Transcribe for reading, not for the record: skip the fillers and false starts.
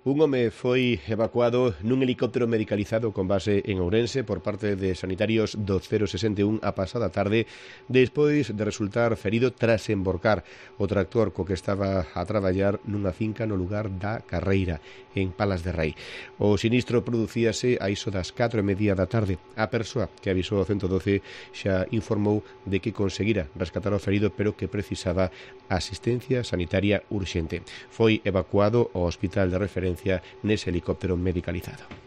Un home foi evacuado nun helicóptero medicalizado con base en Ourense por parte de sanitarios do 061 a pasada tarde despois de resultar ferido tras emborcar o tractor co que estaba a traballar nunha finca no lugar da Carreira, en Palas de Rei. O sinistro producíase a iso das 4:30 da tarde. A persoa que avisou ao 112 xa informou de que conseguira rescatar o ferido pero que precisaba asistencia sanitaria urxente. Foi evacuado ao hospital de referencia nese helicóptero medicalizado.